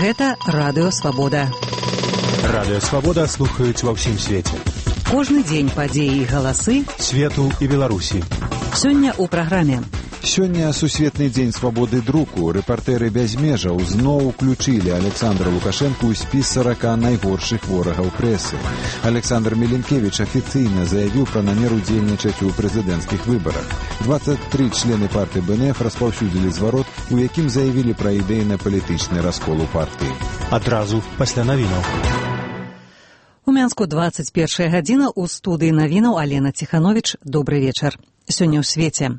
Гэта Радыё Свабода. Радыё Свабода слухаюць ва ўсім свеце. Кожны дзень падзеі і галасы свету і Беларусі. Сёння ў праграме. Сёння сусветны дзень свабоды друку. Рэпартэры без межаў зноў уключылі Александра Лукашэнку ў спіс 40 найгоршых ворагаў прэсы. Александр Меленкевіч афіцыйна заявіў пра намер удзельнічаць у прэзідэнцкіх выбарах. 23 члены партыі БНФ распаўсюдзілі зварот, у якім заявілі пра ідэйна-палітычны раскол у партыі. Адразу пасля навінаў. У Мянску 21 гадзіна, у студыі навінаў Алена Ціхановіч. Добры вечар. Сёння ў свеце.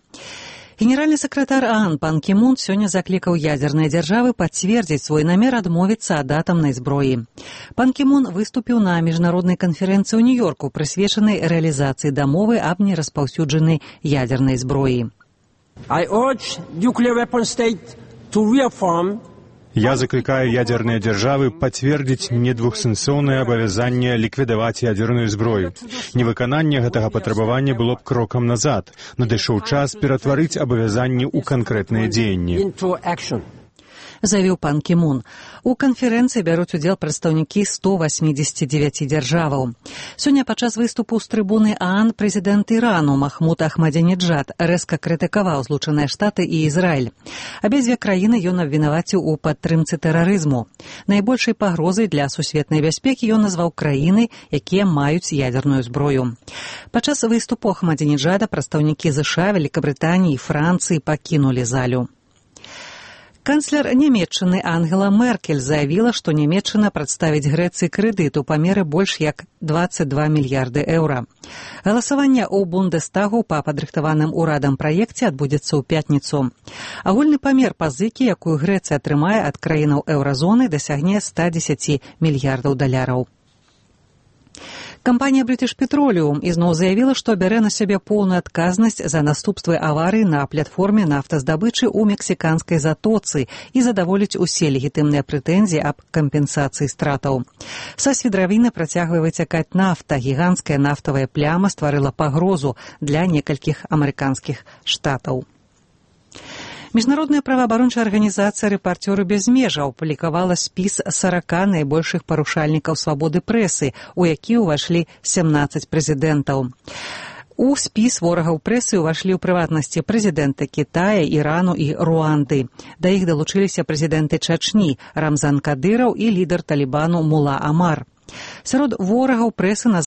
Генеральны сакратар ААН Пан Кі Мун сёння заклікаў ядзерныя дзяржавы пацвердзіць свой намер адмовіцца ад атамнай зброі. Пан Кі Мун выступіў на міжнароднай канферэнцыі ў Нью-Йорку, прысвечанай рэалізацыі дамовы аб нераспаўсюджанай ядзернай зброі. Я закликаю ядерные державы подтвердить недвухсэнсоўнае абавязанне ліквідаваць ядерную зброю. Невыкананне гэтага патрабавання было б крокам назад. Надышоў час ператварыць абавязанні ў канкрэтныя дзеянні. Заявіў Пан Кі Мун. У канферэнцыі бяруць удзел прадстаўнікі 189 дзяржаваў. Сёння падчас выступу з трыбуны ААН прэзідэнт Ірану Махмуд Ахмадзінеджад рэзка крытыкаваў Злучаныя Штаты і Ізраіль. Абедзве краіны ён абвінаваціў у падтрымцы тэрарызму. Найбольшай пагрозай для сусветнай бяспекі ён назваў краіны, якія маюць ядерную зброю. Падчас выступу Ахмадзінеджада прадстаўнікі ЗША, Великабрытаніі і Францыі пакінулі залю. Канцлер Нямецчыны Ангела Меркель заявіла, што Нямецчына прадставіць Грэцыі крэдыт у памеры больш як 22 мільярды еўра. Галасаванне ў Бундестагу па падрыхтаваным урадам праекце адбудзецца ў пятніцу. Агульны памер пазыкі, якую Грэцыя атрымае ад краінаў еўразоны, дасягне 110 мільярдаў даляраў. Кампанія British Petroleum ізноў заявіла, што бярэ на сябе поўную адказнасць за наступствы аварыі на платформе нафтаздабычы ў мексіканскай затоцы і задаволіць усе легітымныя прэтэнзіі аб кампенсацыі стратаў. Са свідравіны працягвае выцякаць нафта. Гіганцкая нафтавая пляма стварыла пагрозу для некалькіх амерыканскіх штатаў. Міжнародная праваабарончая арганізацыя «Рэпартёры без межаў» апублікавала спіс 40 найбольшых парушальнікаў свабоды прэсы, у які ўвайшлі 17 прэзідэнтаў. У спіс ворагаў прэсы ўвайшлі ў прыватнасці прэзідэнты Кітая, Ірану і Руанды. Да іх далучыліся прэзідэнты Чачні Рамзан Кадыраў і лідар Талібану Мула Амар. Сярод ворагаў прэсы